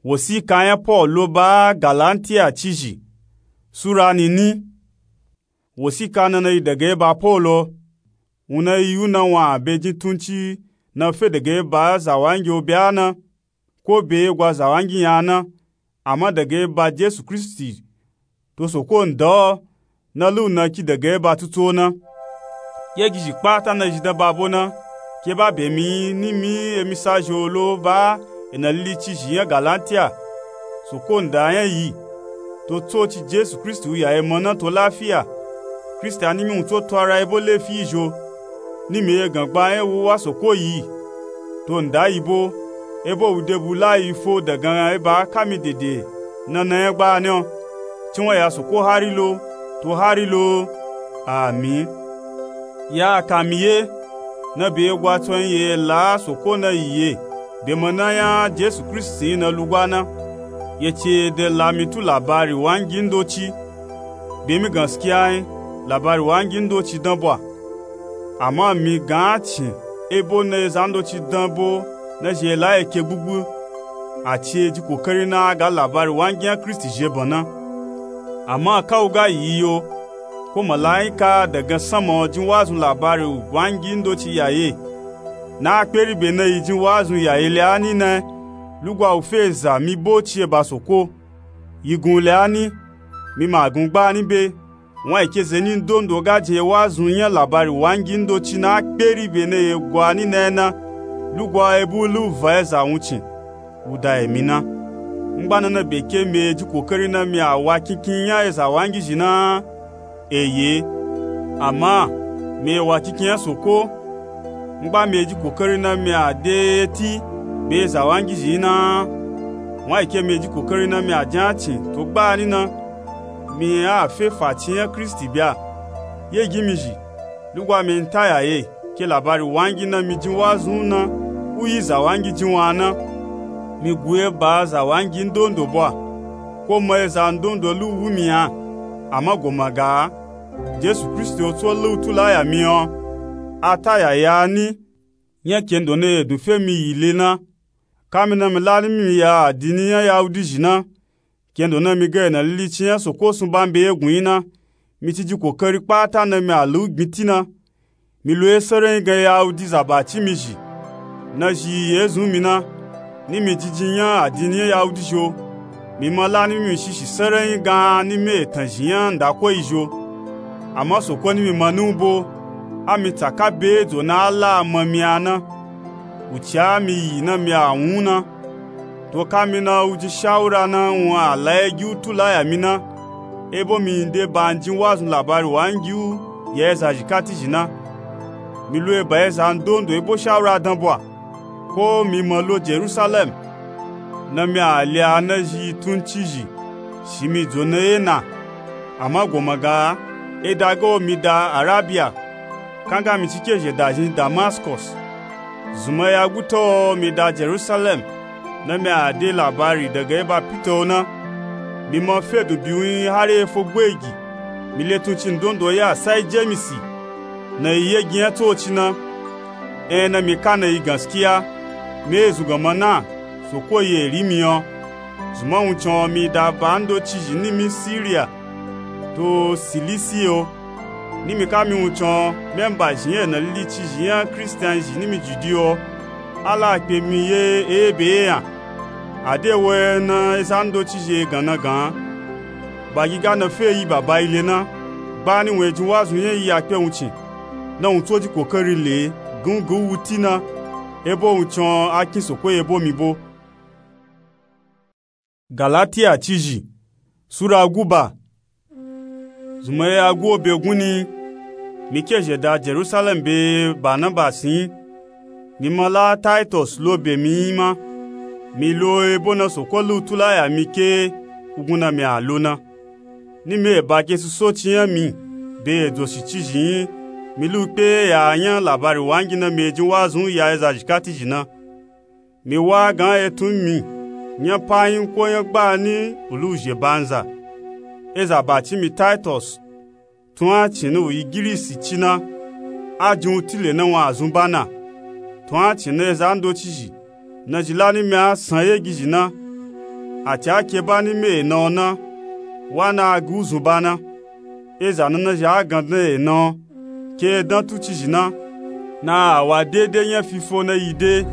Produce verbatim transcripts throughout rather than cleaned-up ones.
Wosika nya Polu lo ba Galantia cizhi. Sura nini. Wosika na na yi daga ba Polu. Wun na yi yu na wun be jin tunci na fe daga ba zawangi obya na, ko be gwa zawangi nya na, ama daga ba Jesu Kristi to Soko nda na lu na ki daga ba tutu na. Ye gizhi kpata na zhi dan ba bo na, ke ba be mi ni mi emi sa zhi olo ba ena lili cizhi nya Galantia. Soko nda nya yi. To tsoci Jesu Kristi u ya ema na to lafiya. Kristi a ni mi wun tso to ara ebo lefi zho. Ni mi ye gan gba nya wu wa Soko yi. To nda yi bo, ebo wu de bu la yi fo dagan eba ka mi dede na na nya gba ni o. Cinwa ya Soko hari lo, to hari lo. Amin. Ya ka mi ye, na be gwa tso yin ye la Soko na yi ye, be ma na nya Jesu Kristi yin na lugwa na. Ye ce de la mi tu labari wangi ndoci. Be mi gaskiya yin, labari wangi ndoci dan bwa. Ama mi gan cin, ebo na eza ndoci dan bo na zhi la ye ke gbugbu. A ci e ji kokari na a ga labari wangi nya Kristi zhe ban na. Ama ka u ga yi yo, ko malaika dagan sama jin wazun labari wangi ndoci ya ye. Na a kperi be na yi jin wazun ya ye le a ni na, lugwa u fe za mi bo ci e ba Soko. Yi gun le a ni, mi ma gun gba ni be. Wun a yi ke ze ni ndondo ga je wazun nya labari wangi ndoci na a kperi be na ye gwa ni na na, lugwa e bu lu va eza wuncin u da emi na. Ngba na na be ke mi e ji kokari na mi a wa kinkin nya eza wangi zhi na. Eye. Ama mi e wa kinkin nya Soko. Ngba mi e ji kokari na mi a de eti be eza wangi zhi na. Wun a yi ke mi e ji kokari na mi a jin a cin to gba ni na. Mi a fe faci nya Kristi bya. Ye gi mi zhi, lugwa mi n ta ya ye, ke labari wangi na mi jin wazun na, u yi za wangi jin wa na. Mi gu e ba za wangi ndondo bwa, ko ma eza ndondo lu wu mi a. Ama go ma ga, Jesu Kristi o tso lu tu la ya mi o. A ta ya ya ni, nya kendo na ye dun fe mi yi le na. Ka mi na mi la ni mi ya adini nya Yahudi zhi na. Kendo na mi ga ena lili ci nya Soko sun ba mi be ye gun yi na, mi ci ji kokari kpata na mi a lu gbin ti na. Mi lo ye serenyi gan Yahudi za ba ci mi zhi. Na zhi ye zun mi na, ni mi jiji nya adini nya Yahudi zho. Mi ma la ni mi shishi serenyi gan ni mi etan zhi nya nda ko yi zho. Ama Soko ni mi ma ni u bo, a mi tsaka be dzo na a la a ma mi a na. U ci a mi yi na mi a wun na. To ka mi na u ji shawura na wun a la ye gi u tu la ya mi na. Ebo mi n de ba n jin wazun labari wangi u ya eza zhikati zhi na. Mi lo e ba eza ndondo ebo shawura dan bwa. Ko mi ma lo Jerusalem. Na mi a le a na zhi tun ci zhi, shi mi dzo na ye na. Ama go ma ga, e da ga o mi da Arabiya. Kanga mi ci ke zhe da zhin Damaskos. Zunmaya guta o mi da Jerusalem, na mi a de labari daga eba Pita o na. Mi ma fe dun bi u yin hari e fo gbe gi. Mi le tun ci ndondo ya sai Jemisi, na yi ye gi nya tsoci na. En na mi ka na yi gaskiya, mi e zun gan ma na, Soko ye ri mi o. Zunma wuncin o mi da ba ndoci zhi ni mi Siriya to Silisi o. Ni mi ka mi wuncin o, memba zhi nya ena lili ci zhi nya Kristian zhi ni mi Judi o. A la kpe mi ye ebe ye yan. A de wo e na eza ndoci zhi e gan na gan. Ba gi ga na fe yi baba yi le na. Gba ni wun e jin wazun nya yi a kpe wuncin. Na wun tso ji kokari le, gun gun wu ti na. Ebo wuncin o a kin Soko ye bo mi bo. Galatiya cizhi, Sura guba. Zunmaya gu o be gun ni, mi ke zhe da Jerusalem be Banabasi yin. Mi ma la Taitos lo be mi yin ma. Mi lo ebo na Soko lu tu la ya mi ke u gun na mi a lo na. Ni mi e ba ke suso ci nya mi, be e dzoshi cizhi yin, mi lu kpe ya nya labari wangi na mi e jin wazun ya eza zhikati zhi na. Mi wa gan etun mi, nya pa yin ko nya gba ni u lu zhe banza. Eza ba ci mi Taitos, tun a cin na u yi Girisi ci na, a jin u ti le na wun a zun ba na. Tun a cin na eza ndoci zhi, na zhi la ni mi a san ye gi zhi na. a ci a ke ba nimi ena o na, wa na a ga uzun ba na. Eza nana zhi a gandan ena o, ke e dan tu cizhi na, na a wa dede nya fifo na yi de,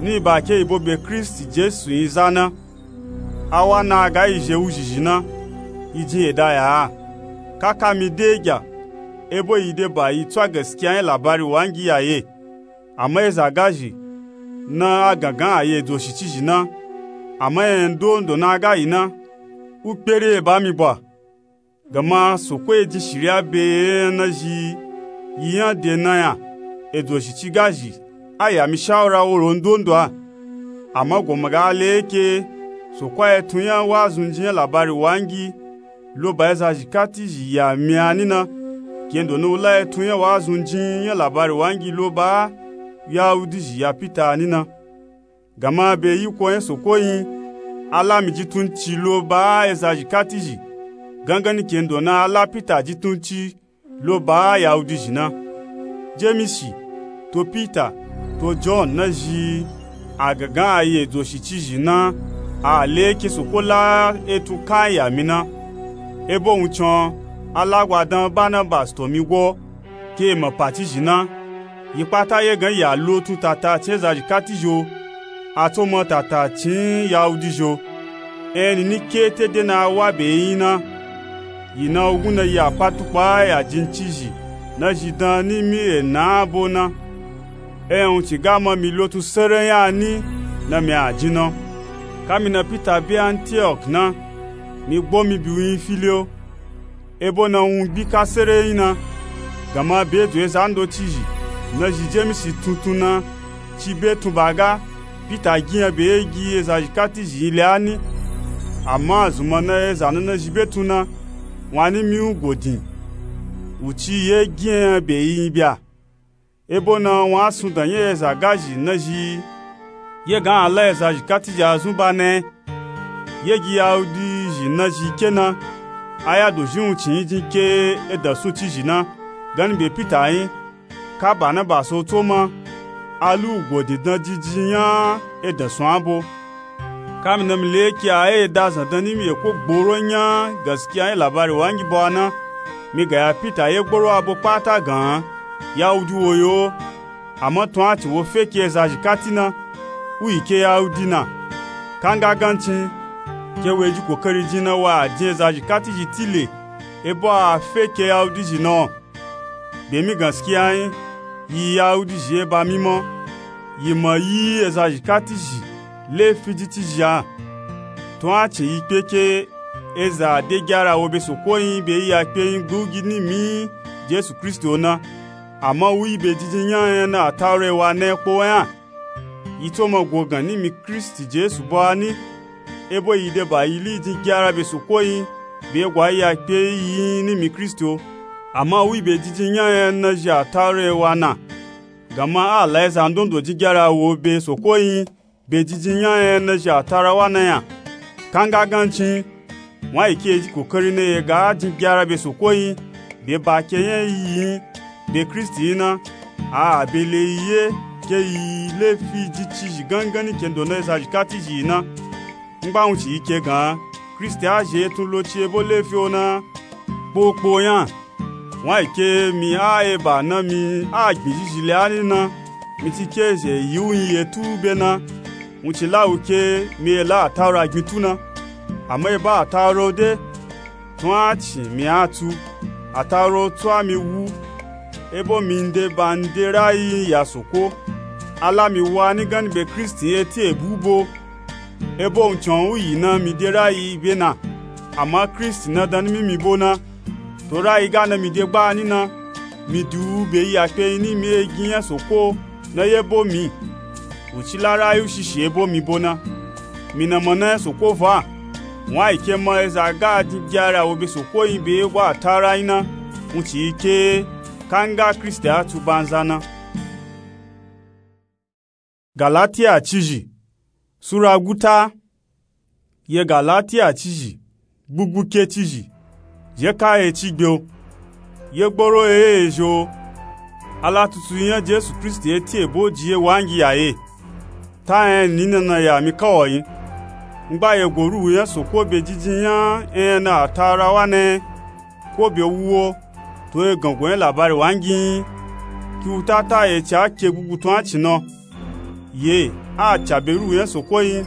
ni ba ke yi bo be Kristi Jesu yin za na. A wa na a ga yi zhe wuzhizhi na, yi jin eda ya a. Ka ka mi de gya, ebo yi de ba yi tsu a gaskiya nya labari wangi ya ye. Ama eza gazhi na a gangan a yi edzo shi cizhi na, ama enya ndondo na a ga yi na, u kpere e ba mi bwa. Gama Soko e jin shiriya be enya na zhi yi nya de na ya, edzo shi ci gazhi, a ya mi shawura woro ndondo a. Ama goma ga le ke, Soko a etun nya wazunji nya labari wangi lo ba eza zhikatizhi ya mi a ni na, kendo na u la etun nya wazunji nya labari wangi lo ba Yahudizhi ya Pita a ni na. Gama be yiko nya Soko yin, a la mi jitunci lo ba eza zhikatizhi, gangani kendo na a la Pita jitunci lo ba Yahudizhi na. Jemisi, to Pita, to John na zhi a gangan a yi edzo shi cizhi na, a le ke Soko la etun kan ya mi na. Ebo wuncin o, a la gwa dan Barnabas to mi go, ke e ma pa cizhi na. Yi kpata ye gan ya lo tun tatacin eza zhikatizhi o, a tso ma tatacin Yahudizhi o. Eni ni ke te de na a wa be yin na, yi na ogun na yi a pa tukpa ya jin cizhi na zhi dan nimi ena bo na. Enya wuncin ga ma mi lo tun sere nya ni na mi a jin na. Ka mi na Pita be Antiok na, mi gbo mi bi u yin fili o. Ebo na wun gbi ka sere yin na, gama be edzo eza ndocizhi na zhi Jemisi tuntun na ci be tun ba ga, Pita gi nya be gi eza zhikatizhi yin le a ni. Ama zunmọ na eza nana zhi be tun na, wun a nimi u go din, u ci ye gi nya be yi yin bya. Ebo na wun a sundan nya eza gazhi na zhi ye gan a la eza zhikatizhi a zun ba na ye gi Yahudizhi na zhi ke na, a ya dozhi wuncin yin jin ke edan sun cizhi na, gani be Pita yin, ka Barnabas o tso ma, a lu u go din dan jijin nya edan sun a bo. Ka mi na mi le ke a ye da zandan nimi eko gboro nya gaskiya nya labari wangi bo a na, mi ga ya Pita ye gboro a bo kpata gan, Yahudi wo yo, ama tun a ci wo fe ke eza zhikati na, u yi ke Yahudi na. Ka nga gancin, ke wo e ji kokari jin na wa a jin eza zhikatizhi tile, ebo a fe ke Yahudizhi na o. Be mi gaskiya yin, yi Yahudizhi ye ba mi mo, yi ma yi eza zhikatizhi lefi jin cizhi a. Tun a ci yi kpe ke eza de gyara wo be Soko yin be yi ya kpe yin gbugi nimi Jesu Kristi o na, ama u yi be jijin nya nya na Ataura e wa na ye kpo nya. Yi tso ma go gan nimi Kristi Jesu bo a ni, ebo yi de ba yi li jin gyara be Soko yin be gwa yi ya kpe yi yin nimi Kristi o. Ama u yi be jijin nya nya na zhi Ataura e wa na. Gama a la eza ndondo jin gyara wo be Soko yin be jijin nya nya na zhi Ataura wa na nya. Ka nga gancin, wun a yi ke e ji kokari na ye ga jin gyara be Soko yin be ba ke nya yi yin be Kristi yin na, a a be le yi ye ke yi lefi jin cizhi gangani kendo na eza zhikatizhi yi na. Ngba wun ci yi ke gan Kristi a zhi etun lo ci ebo lefi o na kpokpo nya. Wun a yi ke mi a eba na mi a gbin zhizhi le a ni na, mi ci ke zhe yi u yin ye tu be na, wun ci la u ke mi e la Ataura gbin tu na. Ama eba Ataura o de, tun a ci mi a tu, Ataura o tsu a mi wu, ebo mi nde ba nde rayi ya Soko. A la mi wa ni gani be Kristi yin eti ebu bo. Ebo wuncin o u yi na mi de rayi be na, ama Kristi na dan nimi mi bo na. To rayi ga na mi de gba ni na, mi di u be yi ya kpe yin nimi e gin nya Soko na ye bo mi. U ci la rayi u shishi ebo mi bo na. Mi na ma na nya Soko fa. Wun a yi ke ma eza ga jin gyara wo be Soko yin be ye gwa Ataura yin na, wun ci yi ke ka nga Kristi a tu banza na. Galatiya cizhi, Sura guta. Ye Galatiya cizhi, gbugbu ke cizhi, ye ka ye ci gbe o. Ye gboro ye ye zhi o. A la tutu nya Jesu Kristi eti ebo ji ye wangi ya ye. Ta nya ni nana ya mi ka wo yin. Ngba yego ruhu nya soko be jijin nya enya na atawura wa na ko be wu wo to egango nya labari wangi nyi ki wu tata eci a ke gbugbutun a ci na. Ye a ca be ruhu nya soko nyi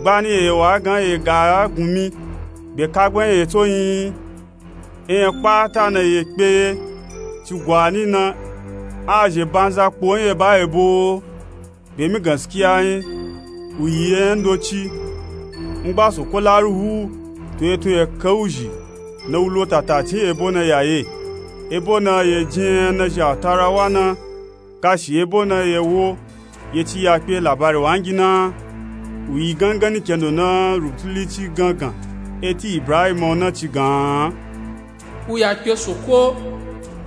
gbani eye wa gan eye ga gunmi be kagban eye to nyi. Enya kpata na ye kpe ye ci gwani na a zhe banza kpo nya ba ebo be mi gaskiya nyi. U yi enya ndoci ngba soko la ruhu to etun ye ke u zhi na u lo tatacin ebo na ya ye ebo na ye jin enya na zhi atawura wa na gashi ebo na ye wo ye ci ya kpe labari wangi na. U yi gangani kendo na rubutuli ci gangan eti ibrahima na ci gan. U ya kpe soko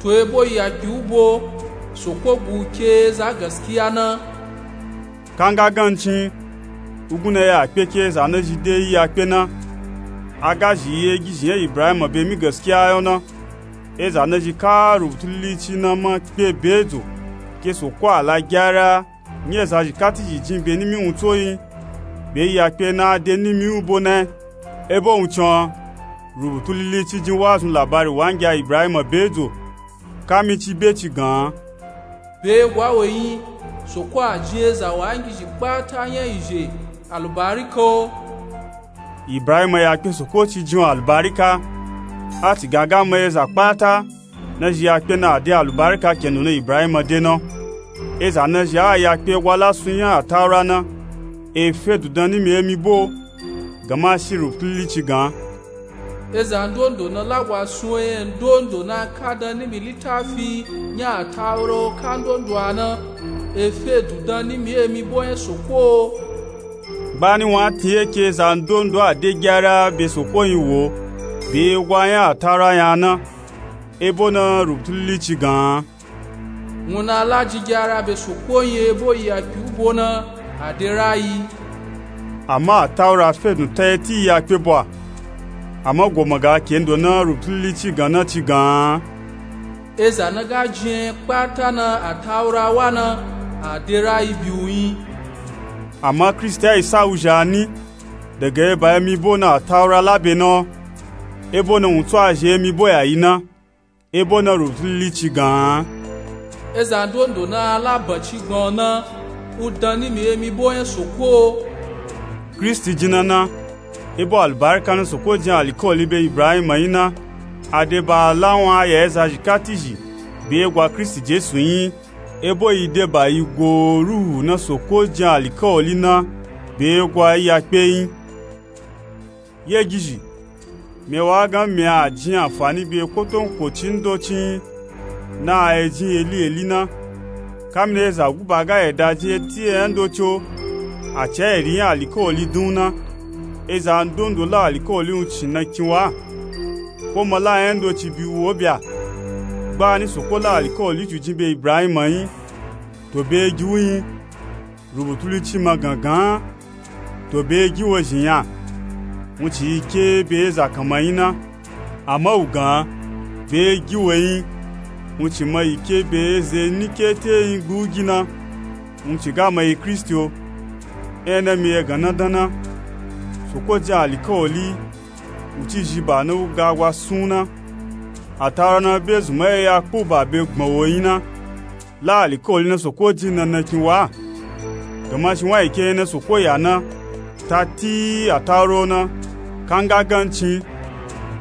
to ebo i ya kpe u bo soko gu u ke za gaskiya na. Kanga gancin u gun na ya kpe ke za na zhi de i ya kpe na. A ga zhi yi egizhi nya ibrahima be mi gaskiya yo na. Eza na zhi ka rubutuli ci na ma kpe be dzo ke soko a la gyara nya eza zhi ka ti zhi jin be nimi wun to nyi be i ya kpe na a de nimi u bo na. Ebo wun con rubutuli ci jin wazun labari wangi a ibrahima be dzo kami ci be ci gan. Be gwa we nyi soko a jin eza wangi zhi kpata nya izhe alubarika o. Ibrahima ya kpe soko ci jin u alubarika. A ci gan ga ma eza kpata na zhi ya kpe na a de alubarika kendo na ibrahima de na. Eza na zhi a ya kpe gwa la sun nya atawura na e fe dun dan nimi emi bo. Gama shi rubutuli ci gan. Eza ndondo na la gwa sun enya ndondo na ka dan nimi litafi nya atawura o ka ndondo a na e fe dun dan nimi emi bo nya soko o. Gbani wun a tin ye ke za ndondo a de gyara be soko nyi wo be gwa nya atawura nya na. Ebo na rubutuli ci gan. Wun na la jin gyara be soko nyi ebo i ya kpe u bo na a de rayi. Ama atawura fe dun ta eti i ya kpe bo a. Ama goma ga kendo na rubutuli ci gan na ci gan. Eza na ga jin enya kpata na atawura wa na a de rayi bi u nyi. Ama kristi a isa u zhi a ni daga eba emi bo na atawura la be na. Ebo na wun tsu a zhi emi bo ya yi na. Ebo na rubutuli ci gan. Eza ndondo na a la banci gban o na u dan nimi emi bo nya soko o. Kristi jin na na ebo alubarika na soko jin alikawali be ibrahima nyi na. A de ba a la wun a ya eza zhi ka ti zhi be gwa kristi jesu nyi. Ebo i de ba i go ruhu na soko jin alikawali na be gwa i ya kpe nyi. Ye gizhi mi wa gan mi a jin anfani be kotonkocin ndocin na a ye jin yeli yeli na. Kamina eza guba ga yeda jin eti enya ndoci o a ci a eri nya alikawali dun u na. Eza ndondo la alikawali wun ci na kin wa ko ma la enya ndoci bi u o bya. Gbani soko la alikawali ju jin be ibrahima nyi to be gi u nyi. Rubutuli ci ma gangan to be gi wo zhi nya wun ci yi ke be eza kanma nyi na. Ama u gan be gi wo nyi wun ci ma yi ke be eze ni ke te nyi gbu gi na. Wun ci ga ma yi kristi o. Enya na mi ye gan na dan na soko jin alikawali wun ci zhi ba na u ga gwa sun u na. Atawura na be zun ma ye ya kpu ba be gbọn wo nyi na. La alikawali na soko jin na na kin wa. Gama shi wun a yi ke enya na soko ya na ta ti atawura o na. Kanga gancin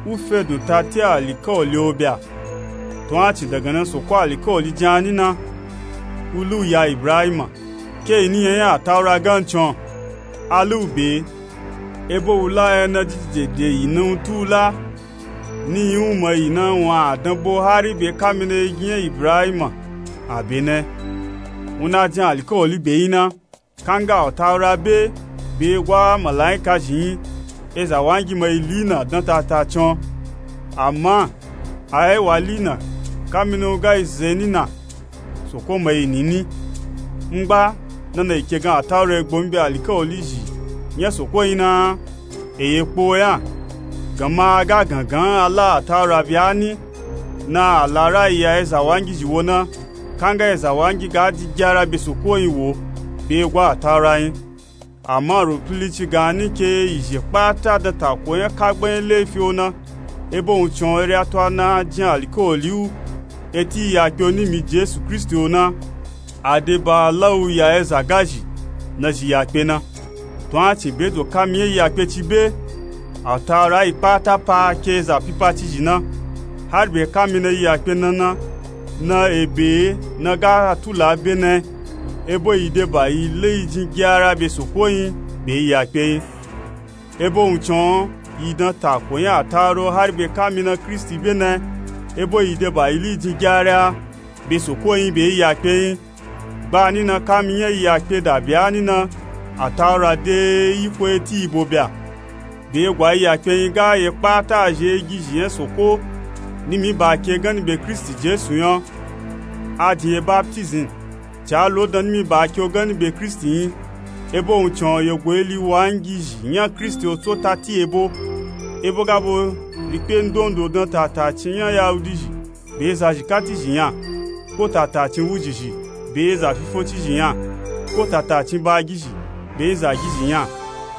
u fe dun ta ti alikawali o bya. To a ci daga na soko alikawali jin a ni na u lu ya ibrahima ke i ni nya nya atawura gancin o. A lu be ebo u la enya na jijije de yi na u tu u la. Ni yi u ma yi na wun a dan bo hari be kamina ye gi nya ibrahima a be na. Wun na jin alikawali be nyi na kanga atawura be be gwa malaika zhi nyi. Eza wangi ma yi li na dan tatacin o. Ama a ye wa li na kamina u ga yi ze ni na soko ma yi ni ni. Ngba na na yi ke gan atawura egbo mi be alikawali zhi nya soko nyi na. Eye kpo nya gama a ga gangan a la atawura bya ni na a la rayi ya eza wangi zhi wo na. Kanga eza wangi ga di gyara be soko nyi wo be gwa atawura nyi. Ama rufili ci gani ke izhe kpata dan tako nya kagban nya lefi o na. Ebo wuncin o ere ato ana jin alikawali u eti iyakpe o nimi Jesu Kristi o na. Adeba lawu ya eza gazhi nazhi yakpe na. Tun a cin be do kami nya iyakpe ci be, atawura yi kpata pa ke eza pipa ci zhi na. Hari be kami na iyakpe na na, na ebe na ga tula be na. Ebo yi deba yi le yi jin gyara be soko yin be iyakpe yin. Ebo wuncin o yi dan tako nya atawura o hari be kami na Kristi be na. Ebo yi deba yi le yi jin gyara be soko yin be iyakpe yin. Gbani na kami nya iyakpe da bya ni na, atawura de yiko eti ibo bya. Be gwa iyakpe yin ga ye kpata zhe gizhi nya soko nimi ba ke gani be Kristi Jesu nya. A jin ye baptism ca lo dan nimi ba ke o gani be Kristi yin. Ebo wuncin o ye go ili wangizhi nya Kristi o tso tati ebo. Ebo ga bo rikpe ndondo dan tatacin nya Yahudi zhi be eza zhi kati zhi nya, ko tatacin wuzhi zhi be eza fifonci zhi nya, ko tatacin bagi zhi be eza gizhi nya.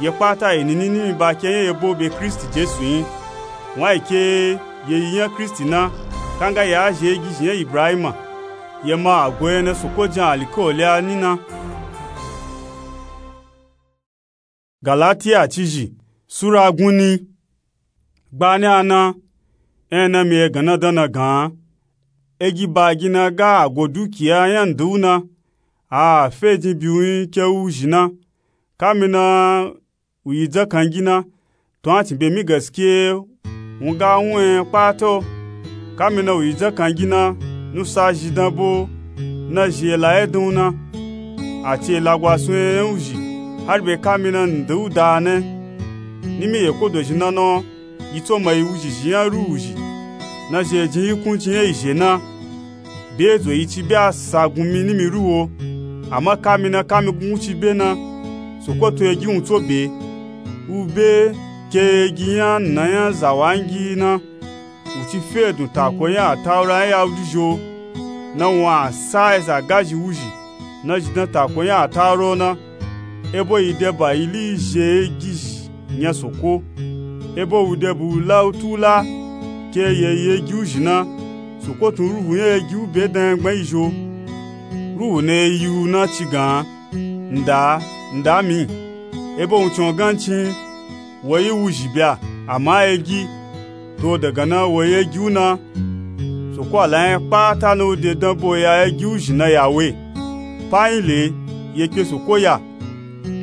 Ye kpata yi nini nimi ba ke nya ebo be Kristi Jesu yin. Wan yi ke ye yi nya Kristi na, kanga ya zhe gizhi nya Ibrahima, ye ma ago ena soko jin alikawali a ni na. Galatiya cizhi sura gunni. Gbani ana, ena mi ye gan na dan na gan. Egi bagi na ga ago dukiya nya ndu na, a fe jin biwun ke wuzhi na. Kami na wu yi dzakangi na, tun a cin be mi gaskiya wun ga wun enya kpata o. Kami na wu yi dzakangi na, nusa zhi dan bo na zhi ela ye dan wun na. A ci ela gwasun enya wuzhi hari be kami na nda u da na. Nimi ye ko dozhi na na o, yi tso ma yi wuzhi zhi nya ruhu zhi na zhi e jin yikunci nya izhe na. Be zo yi ci be a sa gunmi nimi ruhu o. Ama kami na kami gunguci be na, soko to egi wun tso be. U be ke egi nya na nya zawangi na, wu ci fe dun tako nya atawura nya Yahudi zhi o. Na wun a sa eza gazhi wuzhi na zhi dan tako nya atawura o na. Ebo yi deba yi li zhe egi zhi nya soko. Ebo wu deba wu la u tula ke ye yi egi wuzhi na. Soko tun ruhu nya egi u be dan nya gban yi zhi o. Ruhu na ye yi u na ci gan, nda, nda mi. Ebo wuncin o gancin, wo yi wuzhi bya, ama egi. To daga na wo yi egi u na. Soko a la nya kpata na u de dan bo ya egi wuzhi na ya we. Pa yin le, ye kpe soko ya.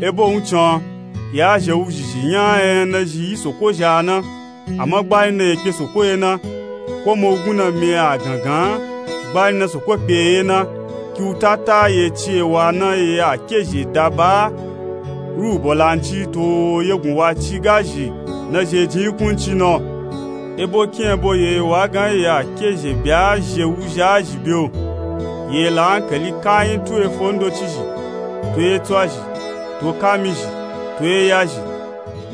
Ebo wuncin o, ya zhe wuzhi zhi nya enya na zhi yi soko zha na. Ama gbani na ye kpe soko ye na, ko ma u gun na mi a gangan gbani na soko kpe ye na. Ki u tata ye ci ewa na ye a kezhe daba ruhu bolanci to ye gun wa ci gazhi na zhi e jin yikunci na. Ebo kin ebo ye wa gan ye a kezhe bya zhi e wuzhi a zhi be o. Ye la ankali kayin tu efo ndoci zhi, to etso a zhi, to kami zhi, to eya zhi.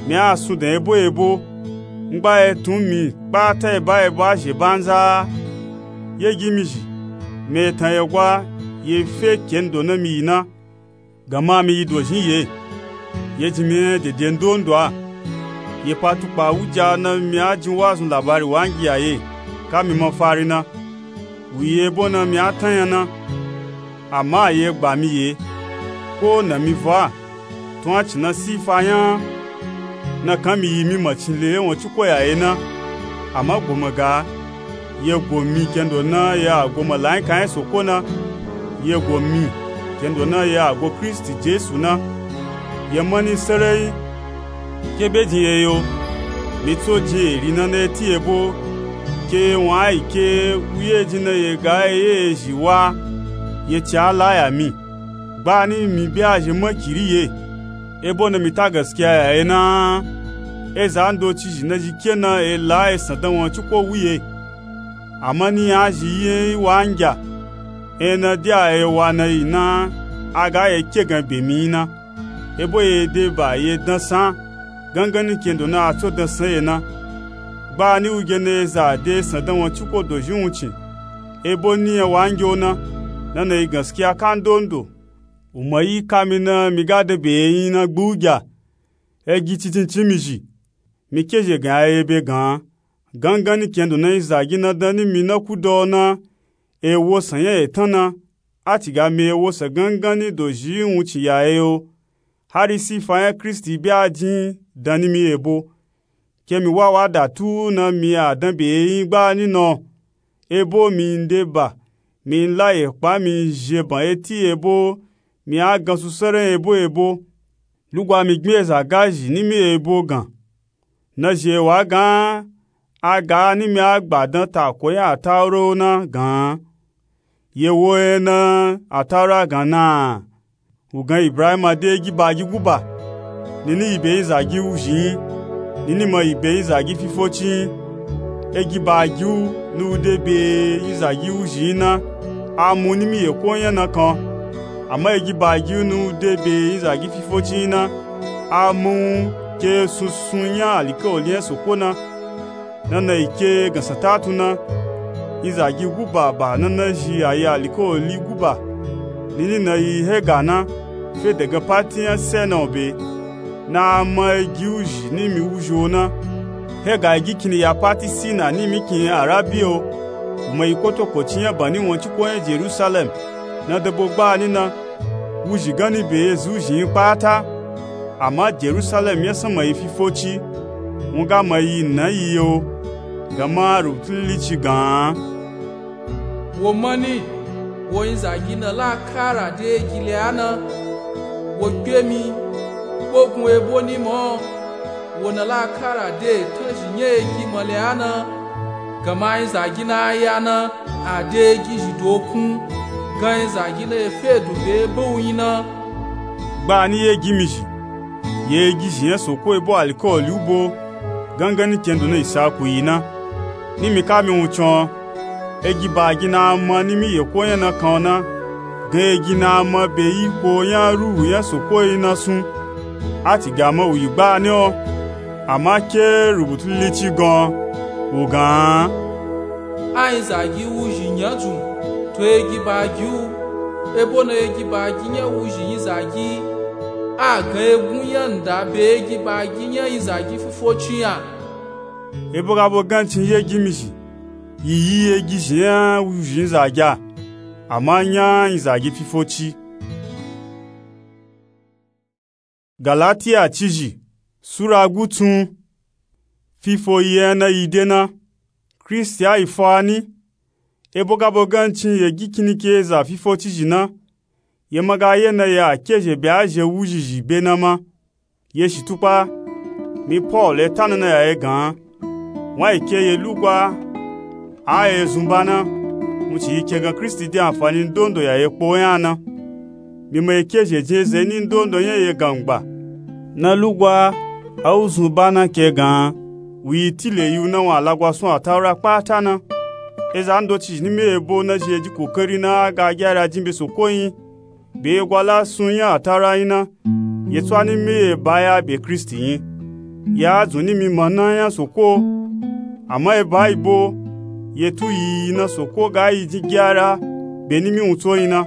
Mi a sun dan ebo ebo. Ngba etun mi kpata eba ebo a zhe banza. Ye gi mi zhi, mi etan ye gwa ye fe kendo na mi yi na. Gama mi yi dozhin ye, ye jin mi enya dede ndondo a. Ye pa tukpa wuja na mi a jin wazun labari wangi a ye, ka mi mafari na. Wu yi ebo na mi a tanya na. Ama ye gba mi ye, ko na mi vwa, tun a cin na sifa nya na kan mi yi mi macin le ye won ci koya ye na. Ama goma ga, ye go mi kendo na ye a go malaika nya soko na, ye go mi kendo na ye a go Kristi Jesu na. Ye mani sarai ke be jin ye yo, mi tso jin eri na na eti ebo, ke ye won a yi ke wuye jin na ye ga ye ye zhi wa, ye ci a la ya mi. Gbani mi be a zhe makiri ye, ebo na mi ta gaskiya ya ye na. Eza ndoci zhi na zhi ke na e la esan dan won ci ko wu ye. Ama ni a zhi yi enya yi wa ngya, enya na di a ye wa na yi na, a ga ye ke gan be mi yi na. Ebo ye de ba ye dansan, gangani kendo na a tso dansan ye na. Gbani u ge na eza de esan dan won ci ko dozhin wuncin, ebo ni enya wa ngya o na, na na yi gaskiya ka ndondo. Umayi ka mi na mi ga de be yin na gbugya. Egi cicinci mi zhi. Mi kezhe gan ya ye be gan. Gangan ni kendo na yin zagi na dan ni mi na kudo na. Ewo san nya etan na. A ci ga mi ewo san gangan ni do zhi wun ci ya ye yo. Hari sifa nya Kristi bi a jin dan ni mi ebo. Ke mi wa wa da tu na mi a dan be yin gba ni no. Ebo mi nde ba, mi nla ye kpa mi nzhe ban eti ebo, mi a gan su sere ebo ebo. Lugwa mi gbin eza ga zhi ni mi ebo gan. Na zhi ewa gan, a ga ni mi a gba dan ta ko nya a tauro na gan. Ye wo ye na a tauro a gan na. Wugan Ibrahima de egi bagi guba. Nini yi be yin zagi wuzhi yin. Nini ma yi be yin zagi fifoci yin. Egi bagi wu ni wu de be yin zagi wuzhi yin na. A mu nimi ye ko nya na kan. Ama egi bagi wu ni wu de be yin zagi fifoci yin na. A mu ke sunsun nya alikawali nya soko na. Nana yi ke gansatatu na, yin zagi guba ba nana zhi a yi alikawali guba. Nini na yi hega na, fe dagan pati nya se na wu be. Na a ma egi wuzhi nimi wuzhi wo na. Hega egi kini ya pati si na nimi kin arabi wo. Wu ma yi kotokoci nya ba ni won ci ko nya Jerusalem. Na dabo gba ni na. Wuzhi gan ni be ezi wuzhi yin pata. Ama Jerusalem nya sama yi fifoci. Wun ga ma yi na yi yo. Gama rubutu lilici gan. Wo mani, wo yin zagi na la kara de egi le a na. Wo kpe mi, kpogun ebo ni mo. Wo na la kara de etan zhi nya egi mo le a na. Gama yin zagi na a ya na. A de egi zhi dokun, gan yin zagi na ye fe do be ebe wu yin na. Gba ni ye egi mi zhi, ye egi zhi nya soko ebo alikawali wu bo, gangan ni kendo na Isaku yi na. Ni mi ka mi wun con, egi bagi na a ma nimi ye ko nya na kan na, gan egi na a ma be yi ko nya ruhu nya soko yi na sun. A ci ga ma wu yi gba ni o. Ama ke rubutu lilici gan, wu gan. A yin zagi wuzhi nya dzun, to egi bagi wu, ebo na egi bagi nya wuzhi yin zagi, a gan egun nya nda be egi bagi nya yin zagi fifoci nya. Ebo ga bo gancin ye egi mi zhi, yi yi egi zhi nya wuzhi yin zagi a, ama nya yin zagi fifoci. Galatiya cizhi, sura gutsun. Fifo yi ena yi de na, Kristi a yi fo a ni. Ebo ga bo gancin ye gi kini ke eza fifo cizhi na, ye ma ga ye na ye a kezhe be a zhe wuzhizhi be na ma. Ye shi tukpa, mi Polu e ta na na ya ye gan. Wun a yi ke ye lugwa, a ye zun ba na, wun ci yi ke gan Kristi de anfani ndondo ya ye kpo nya na. Mi ma yi ke zhe jin eze ni ndondo nya ye gan ngba. Na lugwa, a wu zun ba na ke gan, wu yi tile yi wu na wun a lagwa sun a taura kpata na. Eza ndoci zhi ni mi ebo na zhi ye ji kokari na a ga gyara jin be soko yin. Be ye gwa la sun nya a taura yin na, ye tsu a ni mi ye ba ya be Kristi yin. Ya dzun ni mi ma na nya soko. Ama ye ba yi bo, ye tu yi yi na soko ga yi jin gyara, be ni mi wun tso yin na.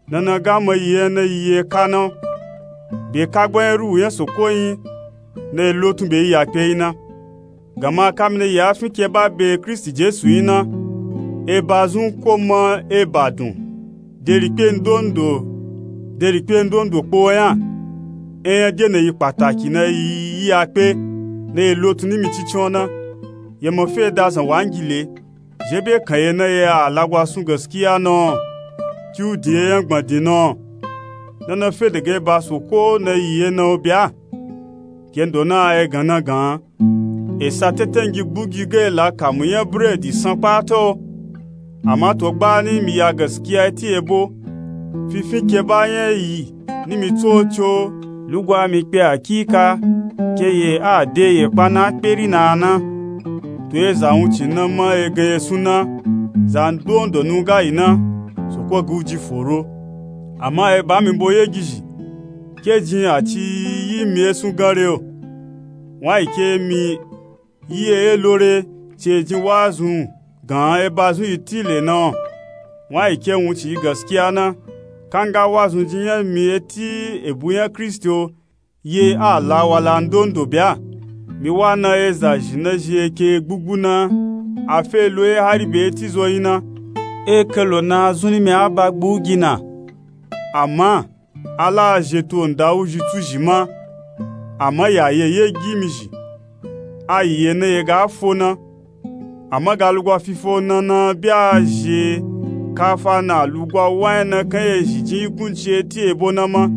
Na na ga ma yi ye na yi ye ka na. Be ka gba nya ruhu nya soko yin, na ye lotun be yi ya kpe yin na. Gama kamina ya fin ke ba be Kristi Jesu yin na, eba zun ko ma eba dun, de rikpe ndondo, de rikpe ndondo kpo nya. Enya de na yi kpataki na yi yi ya kpe, na yi lotun ni mi cincin o na. Ye ma fe da zan wangile, zhe be kan ye na ye a lagwa sun gaskiya na o, ki u din ye nya gbandin na o. Na na fe dege ba soko na yi ye na o bya. Kendo na a ye gan na gan. Esa tetengi gbugi ga ela kamu nya buredi san kpata o. Ama to gba ni mi ya gaskiya eti ebo. Fifin ke ba nya yi ni mi tso tso. Lugwa mi kpe akika, ke ye a de ye kpa na kperi na na. To ye za wun ci na ma ye gan ye sun na, za ndondo nu ga yi na, soko ga u ji foro. Ama ye ba mi bo ye gizhi, ke jin a ci yi mi ye sun gan re o. Wun a yi ke mi yi eye lore, ci e jin wa zun gan eba zun yi tile na o. Wun a yi ke wun ci yi gaskiya na. Kanga wazunji nya mi eti ebu nya Kristi o, ye a la wala ndondo bya. Mi wa na eza zhi na zhi eke gbugbu na, a fe lo e hari be eti zo yin na. E ke lo na zun ni mi a ba gbu gi na. Ama, a la a zhi to nda wuzhi tsu zhi ma. Ama ya ye ye gi mi zhi. A yi ye na ye ga fo na. Ama ga lugwa fifo na na bya zhi kafa na lugwa wa nya na kan ye zhi jin ikunci eti ebo na ma.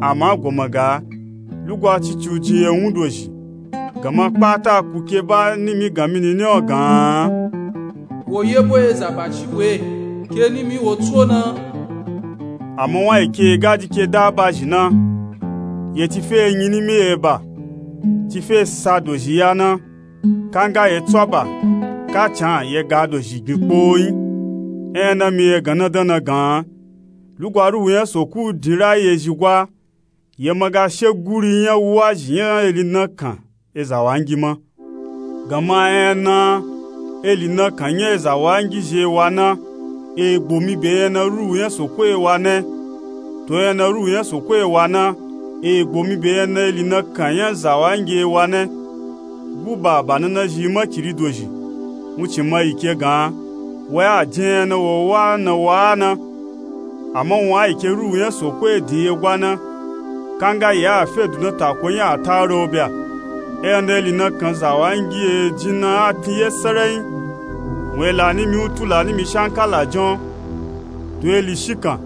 Ama goma ga lugwa cici u jin ye wun dozhi. Gama kpata ku ke ba ni mi gan mi ni ni o gan. Wo ye bo ye za ba ci we ke ni mi wo tso na. Ama wa yi ke ga di ke da ba zhi na. Ye ti fe nyi ni mi ye ba. Ti fe sa dozhi ya na. Kanga ye tswa ba, ka can ye ga dozhi gbin kpo yin. E na mi ye gan na dan na gan. Lugwa ruhu nya soku din ra ye zhi gwa. Ye ma ga she guri nya wuwa zhi nya eli na kan eza wangi ma. Gama e na eli na kan nya eza wangi zhi e wa na. E gbo mi be e na ruhu nya soko e wa na. To e na ruhu nya soko e wa na. E gbo mi be e na eli na kan nya za wangi e wa na. Gu ba ba na na zhi ma kiri dozhi. Wuncin ma yi ke gan. Wa ya jin e na wo wa na wa na. Ama wun a yi ke ruhu nya soko e din ye gwa na. Kanga ye a fe du na tako nya a ta ro bya. E na eli na kan za wangi e jin na a tin ye sarayin. Wun e la ni mi utu la ni mi shankala jon. To eli shikan.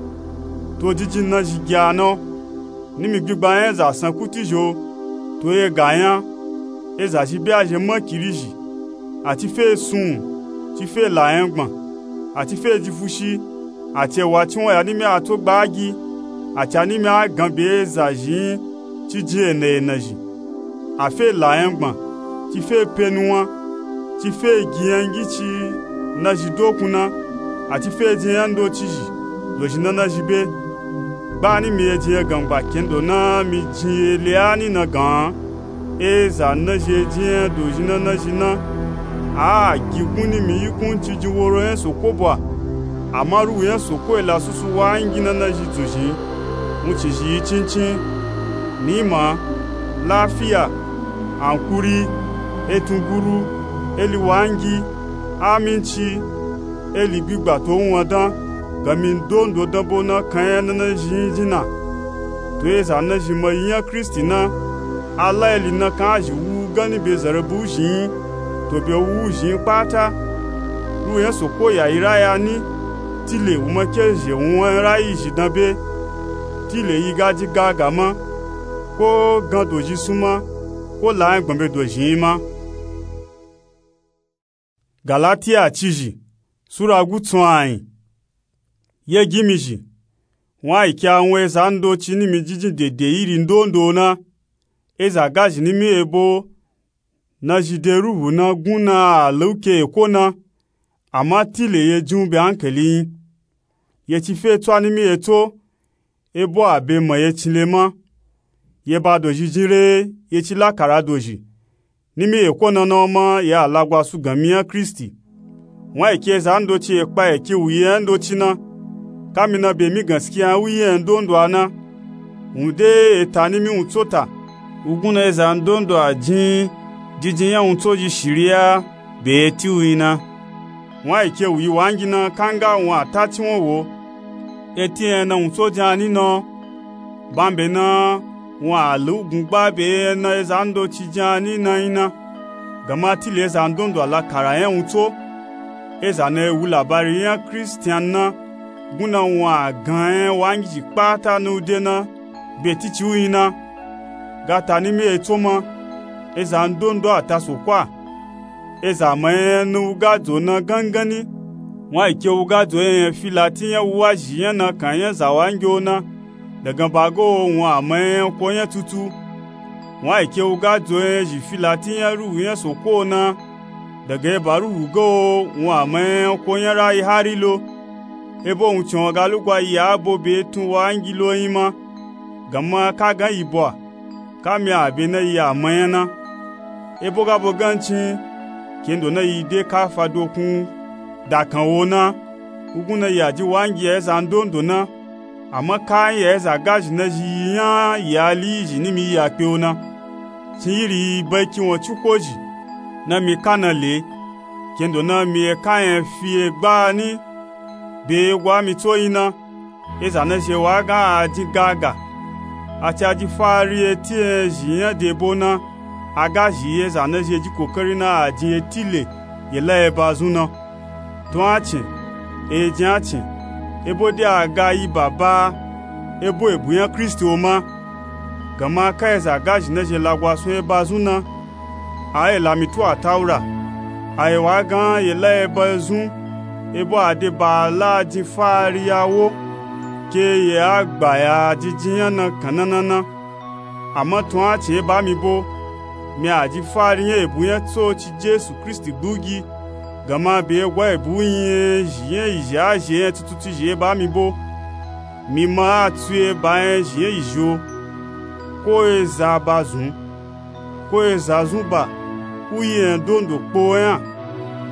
To jijin na zhi gya na. Ni mi gbigba nya za san kuti zho. To ye ga nya. Eza zhi bya zhi ma kiri zhi. A ti fe sun. Ti fe la nya gban. A ti fe ji fushi. A ti e wa ci won ya ni mi a to gba gi. A ti a ni mi a gan be eza zhi yin. Ti jin ena ena zhi. A fe la nya gban. Ti fe pe nuwan. Ti fe gi nya ngi ci na zhi dokun na. A ti fe jin nya ndo ci zhi. Dozhi na na zhi be. Gba ni mi ye jin ye gan gba kendo na mi jin ye le a ni na gan. Eza na zhi e jin nya dozhi na na zhi na. A gi gun ni mi yi kun ci jin woro nya soko bwa. Ama ruhu nya soko e la susu wangi na na zhi dzun zhi. Wuncin zhi yi cincin. Ni'ima, lafiya, ankuri, etunguru, eli wangi, aminci, eli gbigba to wuwan dan, gami ndondo dan bo na kan nya na na zhi yin jin na. To eza na zhi ma yi nya Kristi na, a la eli na kan a zhi wu gani be zarabu zhi yin, to be wu zhi yin kpata. Ruhu nya soko ya yi raya ni, tile wu ma ke zhe wuwan rayi zhi dan be. Tile yi ga ji ga ga ma, ko gan dozhi sun ma, ko la nya gban be dozhi yin ma. Galatiya cizhi, sura gutsun ayin. Ye gimi zhi, wun a yi ke a wun eza ndoci ni mi jijin dede iri ndondo na. Eza gazhi ni mi ebo na zhi de ruhu na gun na a lauke eko na. Ama tile ye jin u be ankali yin. Ye ti fe tswa ni mi eto, ebo a be ma ye cinle ma. Ye ba dozhi jin re, ye ti lakara dozhi. Ni mi eko na na o ma ye a lagwa su gami nya Kristi. Wun a yi ke eza ndoci e kpa eke wu ye nya ndoci na. Kami na be mi ganskiya nya wu ye nya ndondo a na. Wun de eta ni mi wun tso ta. Wugun na eza ndondo a jin jijin nya wun tso ji shiriya be eti wu yin na. Wun a yi ke wu yi wangi na kanga wun a ta ci won wo. Eti nya na wun tso jin a ni na o. Bambe na wun a lu gun gba be nya na eza ndoci jin a ni na yin na. Gama tile eza ndondo a lakara nya wun tso. Eza na e wu labari nya Kristian na. Gun na wun a gan nya wangiji kpata na u de na be titi u yin na. Gata ni mi eto ma, eza ndondo a ta soko a. Eza ma nya na u ga dzo na gangani. Wun a yi ke u ga dzo nya nya fi lati nya wuwa zhi nya na kan nya za wangi o na. Dagan ba ga o wun a ma nya nya ko nya tutu. Wun a yi ke u ga dzo nya zhi fi lati nya ruhu nya soko o na. Dagan eba ruhu ga o wun a ma nya nya ko nya rayi hari lo. Ebo wuncin o ga lugwa yi a bo be tun wangi lo yin ma. Gama ka gan yi bo a, ka mi a be na yi a ma nya na. Ebo ga bo gancin, kendo na yi de ka fa dokun da kan wo na. Wugun na yi a ji wangi ya eza ndondo na. Ama kayin ya eza gazhi nazhi yi nya yi ali yi zhi ni mi yi ya kpe o na, cin yiri yi ba kin won cuko zhi na mi ka na le, kendo na mi eka nya fi egba ni be yego a mi tso yin na. Eza nazhi wa a gan a din gaga, a ci a ji fari eti enya zhi nya debo na, a gazhi yi eza nazhi ji kokari na a din eti le yi la eba zun na. Dun a cin, e jin a cin, ebo de a ga yi baba ebo ebu nya kristi o ma. Ganma ka eza gazhi nazhi lagwa sun eba zun na, a yi la mi tu ataura, a yi wa a gan yi la eba zun, ebo a de ba a la a din fari ya wo ke yi a gba ya a din jin nya na kan na na na. Ama tun a cin eba mi bo, mi a ji fari nya ebu nya tsoci jesu kristi gbugi, ganma be yego a ebu yin enya zhi nya yi zhi a zhi enya tututi zhi eba mi bo. Mi ma a tsu eba nya zhi nya yi zhi o, ko eza ba zun, ko eza zun ba, u yi enya dondo kpo nya.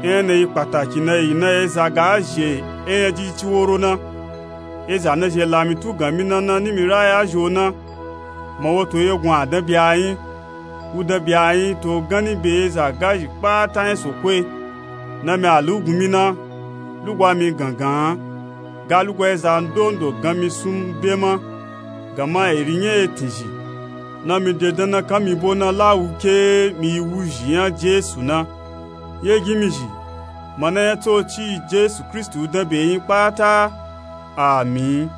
Enya na yi kpataki na yi na eza ga zhi enya jiji ci woro na. Eza nazhi la mi tu gan mi na na ni mi raya zhi o na, ma woto yegun a dan be a yin, u dan be a yin to ganni be eza gazhi kpata nya soko e. Na mi a lu gun mi na, lugwa mi gangan a, ga lugwa eza ndondo gan mi sun be ma. Ganma eri nya etin zhi na mi de dan na kan mi bo na la wu ke mi yi wu zhi nya jesu na. Ye gin mi zhi, ma na nya tsoci yi jesu kristi u dan be yin kpata. Amin.